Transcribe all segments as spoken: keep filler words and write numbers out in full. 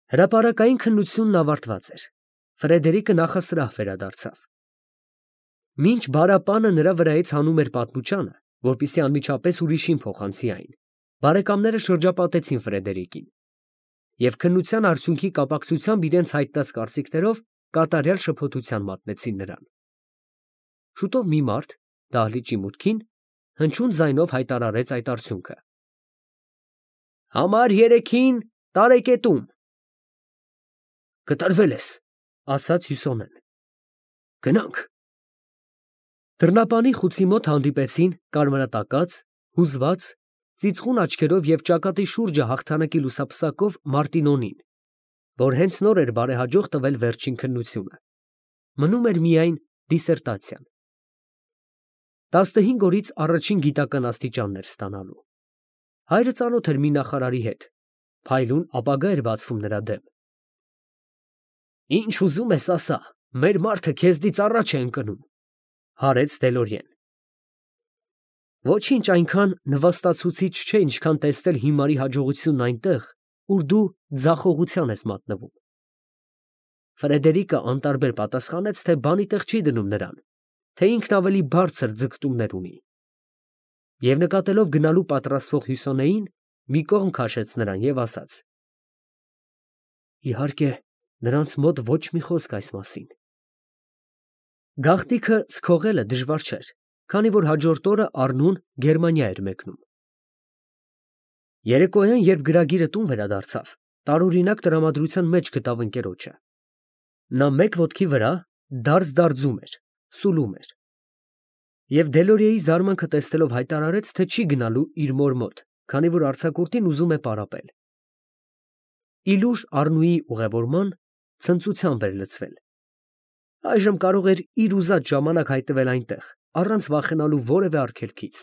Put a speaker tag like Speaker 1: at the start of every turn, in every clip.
Speaker 1: Հրապարակային քննությունն ավարտված էր։ Ֆրեդերիկը նախասրահ վերադարձավ։ Մինչ բարապանը նրա վրայից հանում էր պատմուճանը, որպեսզի անմիջապես ուրիշին փոխանցի այն, բարեկամները շրջապատեցին Ֆրեդերիկին և քննության արդյունքի կապակցությամբ իրենց հայտնած կարծիքներով կատարյալ շփոթության մատնեցին նրան։ Շուտով մի մարդ դահլիճի մուտքին հնչյուն ձայնով հայտարարեց այդ արդյունքը. «Համար երեքին տարեկետում»։ «Կտրվել ես», ասաց Հյուսոնեն։ «Գնանք»։ Դռնապանի խուցի մոտ հանդիպեցին կարմրատակած, հուզված, ծիծխուն աչքերով և ճակատի շուրջը հաղթանակի լուսապսակով Մարտինոնին, որ հենց նոր էր բարեհաջող տվել վերջին քննությունը։ Մնում էր միայն դիսերտացիան։ Տասնհինգ օրից առաջին գիտական աստիճաններ ստանալու։ Հայրը ծանոթ էր մի նախարարի հետ, փայլուն ապագա էր բացվում նրա դեմ։ «Ինչ ուզում ես ասա, մեր մարդը քեզնից առաջ է ընկնում», հարեց Դելորիեն։ «Ոչինչ այնքան նվաստացուցիչ չէ, ինչքան տեսնել հիմարի հաջողությունն այնտեղ, ուր դու ձախողության ես մատնվում»։ Ֆրեդերիկը անտարբեր պատասխանեց, թե բանի տեղ չի դնում նրան, թե ինքն ավելի բարձր ձգտումներ ունի, և նկատելով գնալու պատրաստվող Հյուսոնեին, մի կողմ քաշեց նրան և ասաց. «Իհարկե, նրանց մոտ ոչ մի խոսք այս մասին»։ Գաղտնիքը սքողելը դժվար չէր, քանի որ հաջորդ օրը առնուն Գերմանիա էր մեկնում։ Երեկոյան, երբ գրագիրը տուն վերադարձավ, տարօրինակ տրամադրության մեջ գտավ ընկերոջը։ Նա մեկ ոտքի վրա դարձ֊դարձում էր, սուլում էր։ Եվ Դելորիեի զարմանքը տեսնելով հայտարարեց, թե չի գնալու իր մոր մոտ, քանի որ արձակուրդին ուզում է պարապել։ Ի լուր Առնուի ուղևորման ցնծությամբ էր լցվել։ Այժմ կարող էր իր ուզած ժամանակ հայտնվել այնտեղ, առանց վախենալու որևէ արգելքից։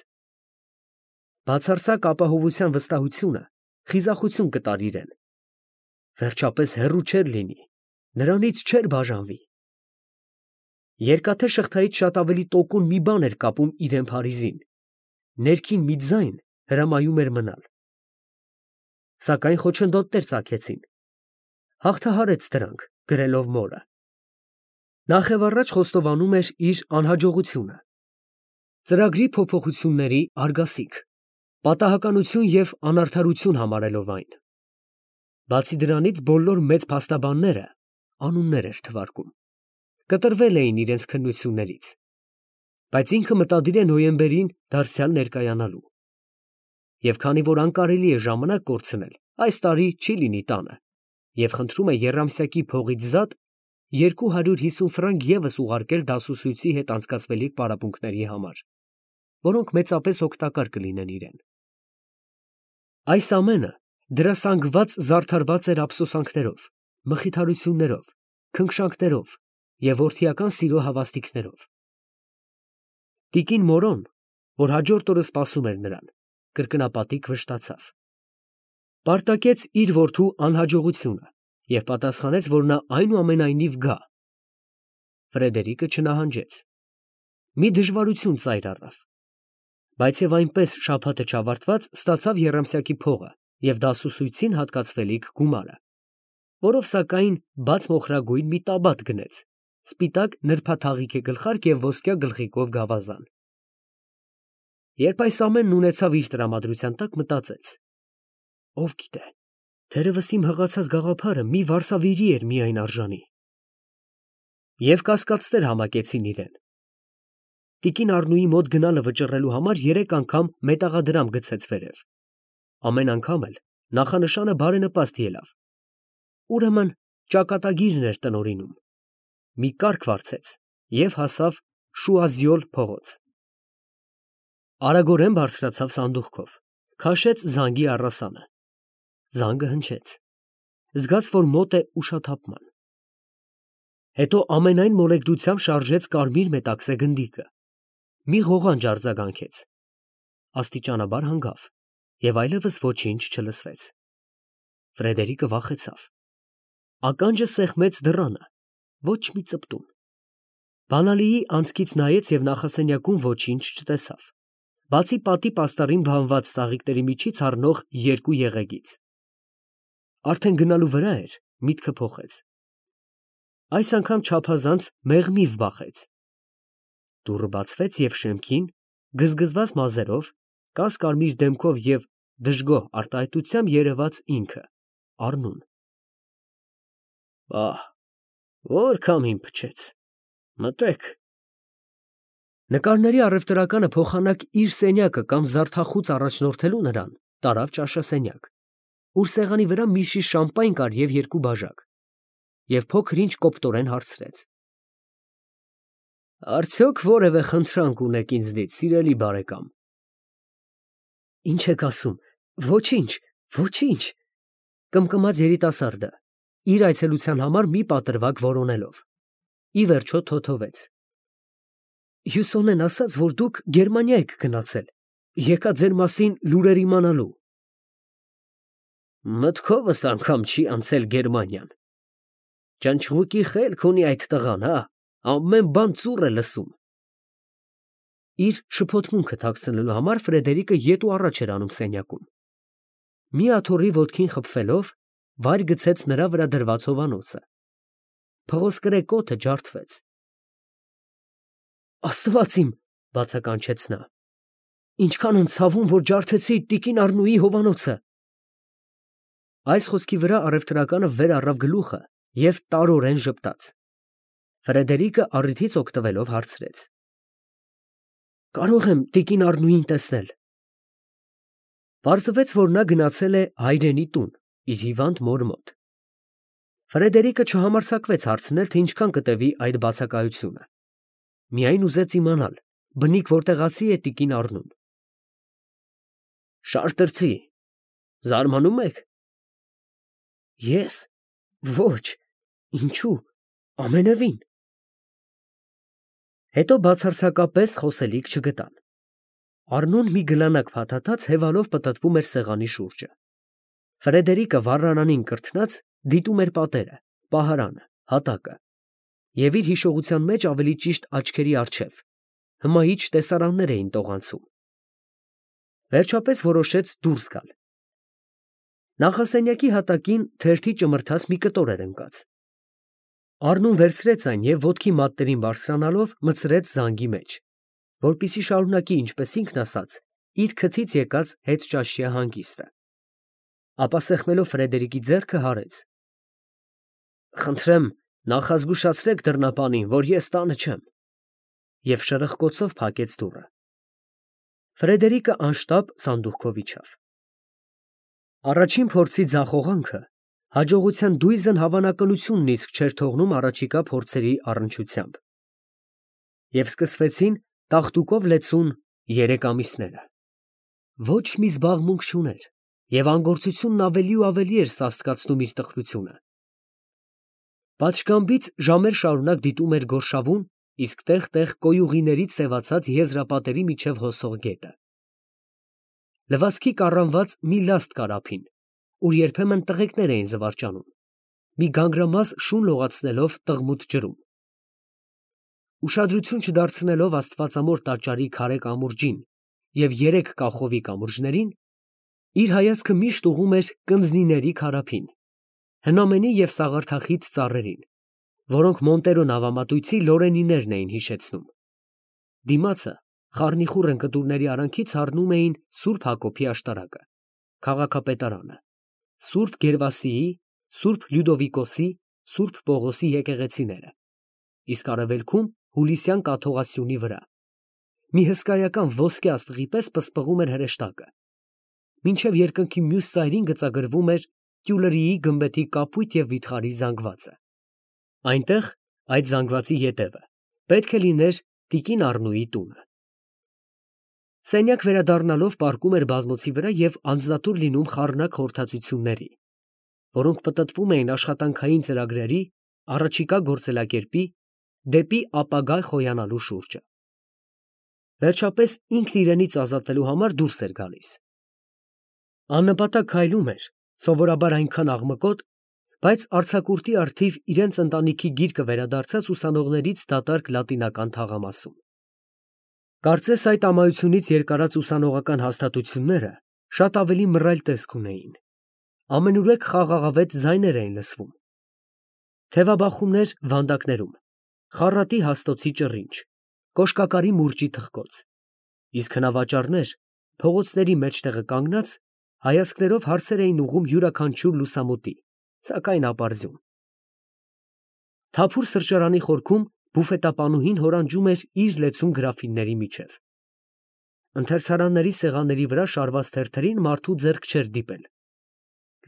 Speaker 1: Բացարձակ ապահովության վստահությունը խիզախություն կտար իրեն։ Վերջապես հեռու չէր լինի, նրանից չէր բաժանվի։ Երկաթե շղթայից շատ ավելի տոկուն մի բան էր կապում իրեն Փարիզին, ներքին մի ձայն հրամայում էր մնալ։ Սակայն խոչընդոտներ ծագեցին։ Հաղթահարեց դրանք, գրելով մորը։ Նախևառաջ խոստովանում էր իր անհաջողությունը։ Ծրագրի փոփոխությունների արգասիք, պատահականություն և անարդարություն համարելով այն։ Բացի դրանից բոլոր մեծ փաստաբանները անուններ էր թվարկում, կտրվել էին իրենց քննություններից, բայց ինքը մտադիր է նոյեմբերին դարձյալ ներկայանալու։ Եվ քանի որ անկարելի է ժամանակ կորցնել, այս տարի չի լինի տանը, և խնդրում է եռամսյակի փողից զատ երկու հարյուր հիսուն ֆրանկ ևս ուղարկել դասուսույցի հետ անցկացվելիք պարապմունքների համար, որոնք մեծապես օգտակար կլինեն իրեն։ Այս ամենը դրասանգված զարդարված էր ափսոսանքներով, մխիթարություններով, քնքշանքներով և որդիական սիրո հավաստիքներով։ Տիկին Մորոն, որ հաջորդ օրը սպասում էր նրան, կրկնապատիկ վշտացավ։ Պարտակեց իր որդու անհաջողությունը և պատասխանեց, որ նա այնուամենայնիվ գա։ Ֆրեդերիկը չնահանջեց։ Մի դժվարություն ծայր առավ, բայց և այնպես շաբաթը չավարտված ստացավ եռամսյակի փողը և դասուսույցին հատկացվելիք գումարը, որով սակայն բաց մոխրագույն մի տաբատ գնեց, սպիտակ նրբաթաղիք է գլխարկ և ոսկյա գլխիկով գավազան։ Երբ այս ամենն ունեցավ իր տրամադրության տակ, մտածեց. ով գիտե, թերևս իմ հղացած գաղափարը մի վարսավիրի էր միայն արժանի։ Եվ կասկածներ համակեցին իրան։ Տիկին Առնուի մոտ գնալը վճռելու համար երեք անգամ մետաղադրամ գցեց վերև։ Ամեն անգամ էլ նախանշանը բարենպաստ ելավ։ Ուրեմն ճակատագիրն էր տնօրինում։ Մի կառք վարձեց և հասավ Շուազյոլ փողոց։ Արագորեն բարձրացավ սանդուղքով, քաշեց զանգի առասանը։ Զանգը հնչեց։ Զգաց, որ մոտ է ուշաթափման։ Հետո ամենայն մոլեգնությամբ շարժեց կարմիր մետաքսե գնդիկը։ Մի ղողանջ արձագանքեց։ Աստիճանաբար հանգավ, և այլևս ոչինչ չլսվեց։ Ֆրեդերիկը վախեցավ։ Ականջը սեղմեց դռանը, ոչ մի ծպտուն։ Բանալիի անցքից նայեց և նախասենյակում ոչինչ չտեսավ, բացի պատի պաստառին բանված ծաղիկների միջից առնող երկու եղեգից։ Արդեն գնալու վրա էր, միտքը փոխեց։ Այս անգամ չափազանց մեղմիվ բախեց։ Դուռը բացվեց և շեմքին, գզգզված մազերով, կաս֊կարմիր դեմքով և դժգոհ արտահայտությամբ երևաց ինքը՝ Առնուն։ Պահ, որ քամին փչեց, մտեք։ Նկարների առևտրականը փոխանակ իր սենյակը կամ զարդախուծ առաջնորդելու նրան, տարավ ճաշասենյակ, ուր սեղանի վրա մի շիշ շամպայն կար և երկու բաժակ, և փոքր ինչ կոպտորեն հարցրեց. Արդյոք որևէ խնդրանք ունեք ինձնից, սիրելի բարեկամ։ Ինչ եք ասում, ոչինչ, ոչինչ, կմկմաց երիտասարդը, իր այցելության համար մի պատրվակ որոնելով, ի վերջո թոթովեց. Հյուսոն են ասաց, որ դուք Գերմանիա եք գնացել, եկա ձեր մասին լուրեր իմանալու։ Մտքովս անգամ չի անցել Գերմանիան։ Ճնճղուկի խելք ունի այդ տղան, հա, ամեն բան ծուռ է լսում։ Իր շփոթմունքը թաքցնելու համար Ֆրեդերիկը ետ ու առաջ էր անում սենյակում։ Մի աթոռի ոտքին խփվելով, վայր գցեց նրա վրա դրված հովանոցը։ Փղոսկրե կոթը ջարդվեց։ Աստված իմ, բացականչեց նա, ինչքան եմ ցավում, որ ջարդեցի տիկին Առնուի հովանոցը։ Այս խոսքի վրա առևտրականը վեր առավ գլուխը և տարորեն ժպտաց։ Ֆրեդերիկը առիթից օգտվելով հարցրեց. Կարո՞ղ եմ տիկին Առնուին տեսնել։ Պարզվեց, որ նա գնացել է հայրենի տուն, իր հիվանդ մոր մոտ։ Ֆրեդերիկը չհամարձակվեց հարցնել, թե ինչքան կտևի այդ բացակայությունը։ Միայն ուզեց իմանալ, բնիկ որտեղացի է տիկին Առնուն։ Շարտրցի, զարմանում եք։ Ես։ Ոչ, ինչու, ամենևին։ Հետո բացարձակապես խոսելիք չգտան։ Առնուն մի գլանակ փաթաթած հևալով պտտվում էր սեղանի շուրջը։ Ֆրեդերիկը վառարանին կրթնած դիտում էր պատերը, պահարանը, հատակը և իր հիշողության մեջ ավելի ճիշտ աչքերի առջև հմայիչ տեսարաններ էին տողանցում։ Վերջապես որոշեց դուրս գալ։ Նախասենյակի հատակին թերթի ճմրթաց մի կտոր էր ընկած։ Առնուն վերցրեց այն և ոտքի մատներին բարձրանալով մտցրեց զանգի մեջ, որպեսզի շարունակի, ինչպես ինքն ասաց, իր քթից եկած հետճաշյա հանգիստը։ Ապա սեղմելով Ֆրեդերիկի ձեռքը հարեց. Խնդրեմ, նախազգուշացրեք դռնապանին, որ ես տանը չեմ, և շրխկոցով փակեց դուռը։ Ֆրեդերիկը անշտապ սանդուղքով իջավ։ Առաջին փորձի ձախողանքը հաջողության դույզն հավանականությունն իսկ չէր թողնում առաջիկա փորձերի առնչությամբ։ Եվ սկսվեցին տաղտուկով լեցուն երեք ամիսները։ Ոչ մի զբաղմունք չուներ, և անգործությունն ավելի ու ավելի էր սաստկացնում իր տխրությունը։ Պատշգամբից ժամեր շարունակ դիտում էր գորշավուն, իսկ տեղ֊տեղ կոյուղիներից սևացած եզրապատերի միջև հոսող գետը։ Լվացքի կառանված մի լաստ կար ափին, ուր երբեմն տղեկներ էին զվարճանում, մի գանգրամաս շուն լողացնելով տղմուտ ջրում։ Ուշադրություն չդարձնելով աստվածամոր տաճարի քարե կամուրջին և երեք կախովի կամուրջներին, իր հայացքը միշտ ուղղում էր կնձնիների քարափին, հնամենի և սաղարթախիտ ծառերին, որոնք Մոնտերո նավամատույցի լորենիներն էին հիշեցնում։ Դիմացը խառնիխուռ ընկտուրների արանքից հառնում էին Սուրբ Հակոբի աշտարակը, քաղաքապետարանը, Սուրբ Գերվասիի, Սուրբ Լյուդովիկոսի, Սուրբ Պողոսի եկեղեցիները, իսկ արևելքում Հուլիսյան կաթողասյունի վրա մի հսկայական ոսկե աստղի պես պսպղում էր հրեշտակը, մինչև երկնքի մյուս ծայրին գծագրվում էր Տյուլրիի գմբեթի կապույտ և վիթխարի զանգվածը։ Այնտեղ, այդ զանգվածի ետևը, պետք է լիներ տիկին Առնուի տունը։ Սենյակ վերադառնալով պառկում էր բազմոցի վրա և անձնատուր լինում խառնակ խորհրդածությունների, որոնք պտտվում էին աշխատանքային ծրագրերի, առաջիկա գործելակերպի, դեպի ապագա խոյանալու շուրջը։ Վերջապես ինքն իրենից ազատվելու համար դուրս էր գալիս։ Աննպատակ քայլում էր, սովորաբար այնքան աղմկոտ, բայց արձակուրդի առթիվ իրենց ընտանիքի գիրկը վերադարձած ուսանողներից դատարկ լատինական թաղամասում։ Կարծես այդ ամայությունից երկարած ուսանողական հաստատությունները շատ ավելի մռայլ տեսք ունեին։ Ամենուրեք խաղաղավետ ձայներ էին լսվում, Թևաբախումներ վանդակներում, խառատի հաստոցի ճռինչ, կոշկակարի մուրճի թխկոց, իսկ հնավաճառներ փողոցների մեջտեղը կանգնած հայացքներով հարցեր էին ուղղում յուրաքանչյուր լուսամուտի, սակայն ապարդյուն։ Թափուր սրճարանի խորքում բուֆետապանուհին հորանջում էր իր լեցուն գրաֆինների միջև։ Ընթերցարանների սեղանների վրա շարված թերթերին մարդու ձեռք չէր դիպել։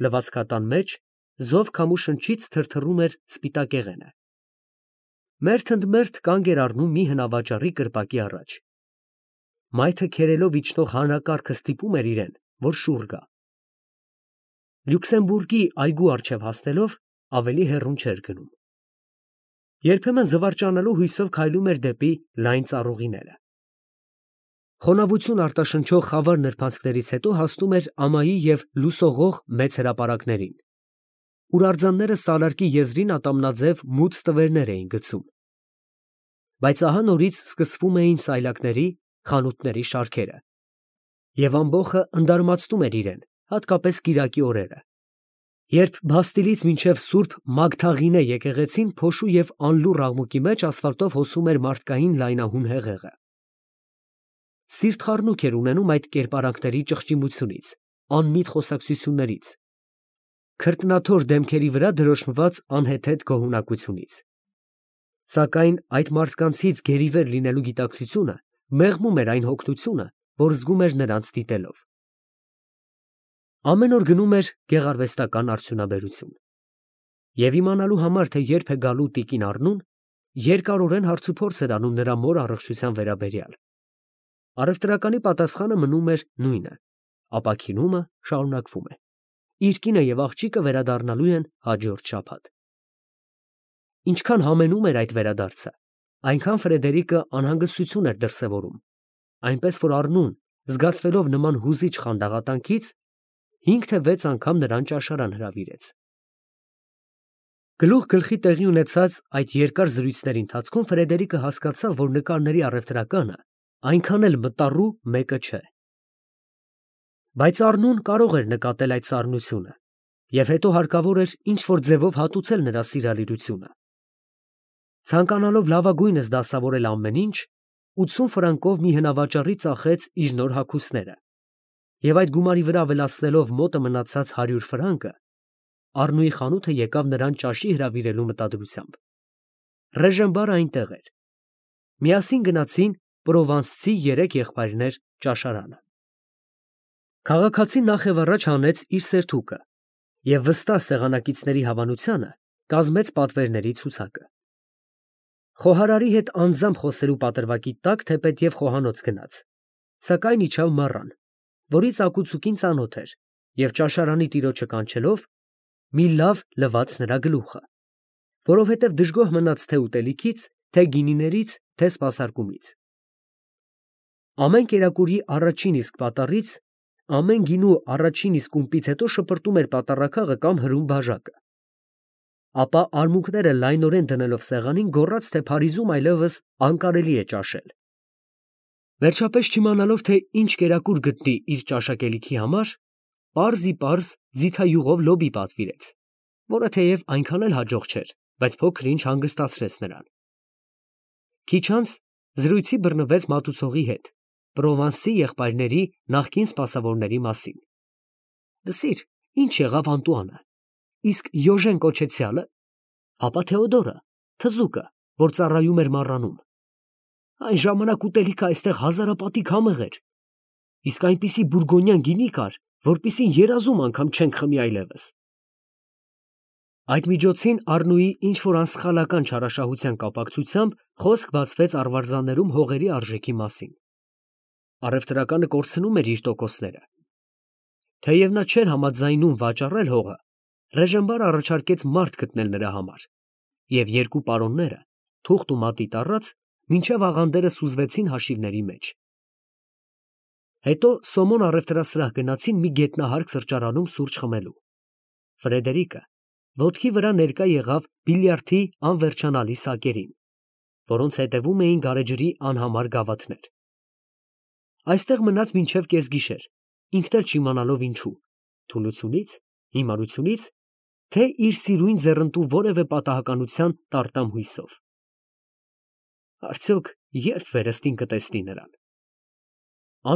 Speaker 1: Լվացքատան մեջ զով քամու շնչից թրթռում էր սպիտակեղենը։ Մերթ ընդ մերթ կանգ էր առնում մի հնավաճառի կրպակի առաջ։ Մայթը քերելով իջնող հանրակարգը ստիպում էր իրեն, որ շուռ գա։ Լյուքսեմբուրգի այգու առջև հասնելով ավելի հեռուն չէր գնում։ Երբեմն զվարճանալու հույսով քայլում էր դեպի լայն ծառուղիները։ Խոնավություն արտաշնչող խավար նրբանցքներից հետո հասնում էր ամայի և լուսողող մեծ հրապարակներին, ուր արձանները սալարկի եզրին ատամնաձև մուծ տվերներ էին գցում։ Բայց ահա նորից սկսվում էին սայլակների, խանութների շարքերը, և ամբոխը ընդարմացնում էր իրեն, հատկապես կիրակի օրերը, երբ Բաստիլից մինչև Սուրբ Մագդաղինե եկեղեցին փոշու և անլուռ աղմուկի մեջ ասֆալտով հոսում էր մարդկային լայնահուն հեղեղը։ Սիրտխառնուկ էր ունենում այդ կերպարանքների ճղճիմությունից, անմիտ խոսակցություններից, քրտնաթոր դեմքերի վրա դրոշմված անհեթեթ գոհունակությունից։ Սակայն այդ մարդկանցից գերիվեր լինելու գիտակցությունը մեղմում էր այն հոգնությունը, որ զգում էր նրանց դիտելով։ Ամեն օր գնում էր գեղարվեստական արդյունաբերություն։ Եվ իմանալու համար, թե երբ է գալու տիկին Առնուն, երկարորեն հարցուփորձ էր անում նրա մոր առողջության վերաբերյալ։ Առևտրականի պատասխանը մնում էր նույնը. ապաքինումը շարունակվում է։ Իր կինը և աղջիկը վերադառնալու են հաջորդ շաբաթ։ Ինչքան համենում էր այդ վերադարձը, այնքան Ֆրեդերիկը անհանգստություն էր դրսևորում, այնպես որ Առնուն, զգացվելով նման հուզիչ խանդաղատանքից, հինգ թե վեց անգամ նրան ճաշարան հրավիրեց։ Գլուխ գլխի տեղի ունեցած այդ երկար զրույցների ընթացքում Ֆրեդերիկը հասկացավ, որ նկարների առևտրականը այնքան էլ մտառու մեկը չէ։ Բայց Առնուն կարող էր նկատել այդ սառնությունը, և հետո հարկավոր էր ինչ֊որ ձևով հատուցել նրա սիրալիրությունը։ Ցանկանալով լավագույնս դասավորել ամեն ինչ, ութսուն ֆրանկով մի հնավաճառի ծախեց իր նոր հագուստները, և այդ գումարի վրա ավելացնելով մոտը մնացած հարյուր ֆրանկը, Առնուի խանութը եկավ նրան ճաշի հրավիրելու մտադրությամբ։ Ռեժենբարը այնտեղ էր։ Միասին գնացին պրովանսցի երեք եղբայրներ ճաշարանը։ Քաղաքացին նախևառաջ հանեց իր սերթուկը և վստահ սեղանակիցների հավանությանը կազմեց պատվերների ցուցակը։ Խոհարարի հետ անձամբ խոսելու պատրվակի տակ թեպետև խոհանոց գնաց, սակայն իջավ մառան, որի ծակուցուկին ծանոթ էր, և ճաշարանի տիրոջը կանչելով, մի լավ լվաց նրա գլուխը, որովհետև դժգոհ մնաց թե ուտելիքից, թե գինիներից, թե սպասարկումից։ Ամեն կերակուրի առաջին իսկ պատառից, ամեն գինու առաջին իսկ ումպից հետո շպրտում էր պատառաքաղը կամ հրում բաժակը։ Ապա արմունկները լայնորեն դնելով սեղանին, գոռաց, թե Փարիզում այլևս անկարելի է ճաշել։ Վերջապես չիմանալով, թե ինչ կերակուր գտնի իր ճաշակելիքի համար, պարզիպարզ ձիթայուղով լոբի պատվիրեց, որը թեև այնքան էլ հաջող չէր, բայց փոքր-ինչ հանգստացրեց նրան։ Քիչ անց զրույցի բռնվեց մատուցողի հետ, Պրովանսի եղբայրների նախկին սպասավորների մասին։ Լսիր, ինչ եղավ Անտուանը, իսկ Յոժեն կոչեցյա՞լը, հապա Թեոդորը, թզուկը, որ ծառայում էր մառանում։ Այն ժամանակ ուտելիքը այստեղ հազարապատիկ համեղ էր, իսկ այնպիսի բուրգոնյան գինի կար, որպիսին երազում անգամ չենք խմի այլևս։ Այդ միջոցին Առնուի ինչ-որ անսխալական չարաշահության կապակցությամբ խոսք բացվեց արվարձաններում հողերի արժեքի մասին։ Առևտրականը կորցնում էր իր տոկոսները։ Թեև նա չէր համաձայնում վաճառել հողը, Ռեժենբարը առաջարկեց մարդ գտնել նրա համար, և երկու պարոնները, թուղթ ու մատիտ առած, մինչև աղանդերը սուզվեցին հաշիվների մեջ։ Հետո Սոմոն առևտրասրահ գնացին մի գետնահարկ սրճարանում սուրճ խմելու։ Ֆրեդերիկը ոտքի վրա ներկա եղավ բիլիարդի անվերջանալի սակերին, որոնց հետևում էին գարեջրի անհամար գավաթներ։ Այստեղ մնաց մինչև կեսգիշեր, ինքն էլ չիմանալով ինչու՝ թուլությունից, հիմարությունից, թե իր սիրույն ձեռնտու որևէ պատահականության տարտամ հույսով։ Արդյոք ե՞րբ վերստին կտեսնի նրան։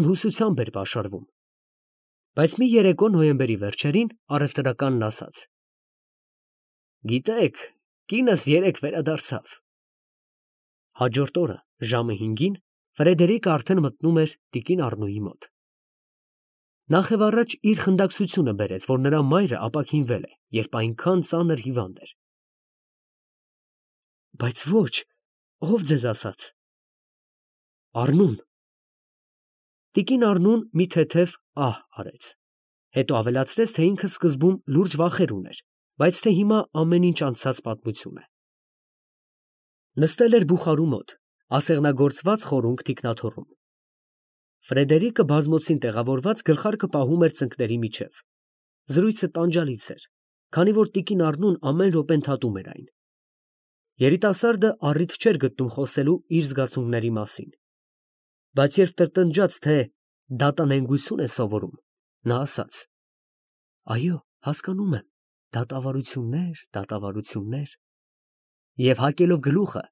Speaker 1: Անհուսությամբ էր պաշարվում, բայց մի երեկո նոյեմբերի վերջերին առևտրականն ասաց. «Գիտեք, կինս երեկ վերադարձավ»։ Հաջորդ օրը ժամը հինգին Ֆրեդերիկը արդեն մտնում էր տիկին Առնոյի մոտ։ Նախևառաջ իր խնդակցությունը բերեց, որ նրա մայրը ապաքինվել է, երբ այնքան ծանր հիվանդ էր։ Բայց ոչ, ով ձեզ ասաց։ Առնուն։ Տիկին Առնուն մի թեթև ահ արեց, հետո ավելացրեց, թե ինքը սկզբում լուրջ վախեր ուներ, բայց թե հիմա ամեն ինչ անցած պատմություն է։ Նստել էր բուխարու մոտ, ասեղնագործված խորունգ թիկնաթոռում։ Ֆրեդերիկը բազմոցին տեղավորված գլխարկը պահում էր ծնկների միջև։ Զրույցը տանջալից էր, քանի որ տիկին Առնուն ամեն րոպե ընդհատում էր այն։ Երիտասարդը առիթ չէր գտնում խոսելու իր զգացմունքների մասին, բայց երբ տրտնջաց, թե դատանենգություն է սովորում, նա ասաց. «Այո, հասկանում եմ, դատավարություններ, դատավարություններ» և հակելով գլուխը,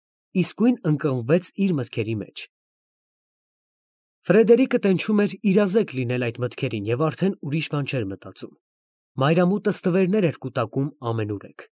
Speaker 1: իսկույն ընկղմվեց իր մտքերի մեջ։ Ֆրեդերիկը տենչում էր իրազեկ լինել այդ մտքերին և արդեն ուրիշ բան չէր մտածում։ Մայրամուտը ստվերներ էր կուտակում ամենուրեք։